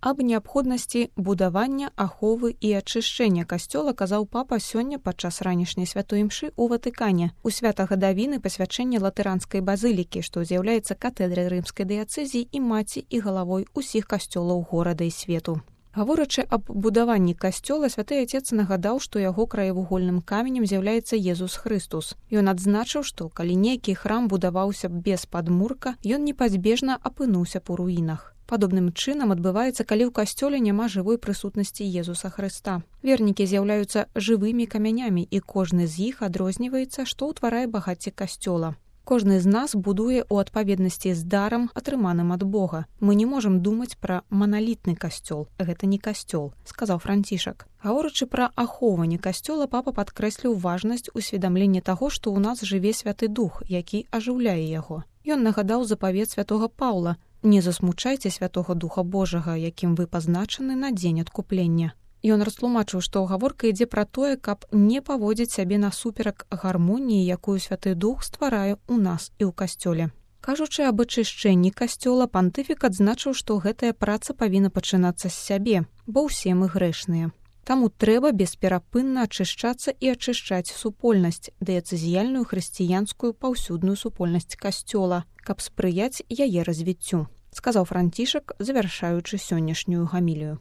Аб неабходнасці будавання, аховы і ачышчэння касцёла казаў папа сёння падчас ранішняй святой імшы ў Ватыкане у святагадавіны пасвячэння латыранскай базылікі, што з'яўляецца катэдрай рымскай дыяцэзіі і маці і галавой усіх касцёлаў горада і свету. Гаворачы аб будаванні касцёла, святы Отец нагадаў, што яго краевугольным каменем з'яўляецца Езус Хрыстус. Ён адзначыў, што калі нейкі храм будаваўся без падмурка, ён непазбежна апынуўся б у руінах. Падобным чынам адбываецца, калі ў касцёле няма жывой прысутнасці Езуса Хрыста. Вернікі з'яўляюцца жывымі камянямі, і кожны з іх адрозніваецца, што ўтварае багацце касцёла. Кожны з нас будуе ў адпаведнасці з дарам, атрыманым ад Бога. Мы не можам думаць пра маналітны касцёл. Гэта не касцёл, сказаў Францішак. Гаворачы пра ахоўванне касцёла, папа падкрэсліў важнасць усведамлення таго, што ў нас жыве Святы Дух, які ажыўляе яго. Ён нагадаў запавет святога Паўла: «Не засмучайце Святога Духа Божага, якім вы пазначаны на дзень адкуплення». Ён растлумачыў, што гаворка ідзе пра тое, каб не паводзіць сябе насуперак гармоніі, якую Святы Дух стварае ў нас і ў касцёле. Кажучы аб ачышчэнні касцёла, пантыфік адзначыў, што гэтая праца павінна пачынацца з сябе, бо ўсе мы грэшныя. Таму трэба бесперапынна ачышчацца і ачышчаць супольнасць, дыяцэзіяльную хрысціянскую паўсюдную супольнасць касцёла, каб спрыяць яе развіццю, сказаў Францішак, завяршаючы сённяшнюю гамілію.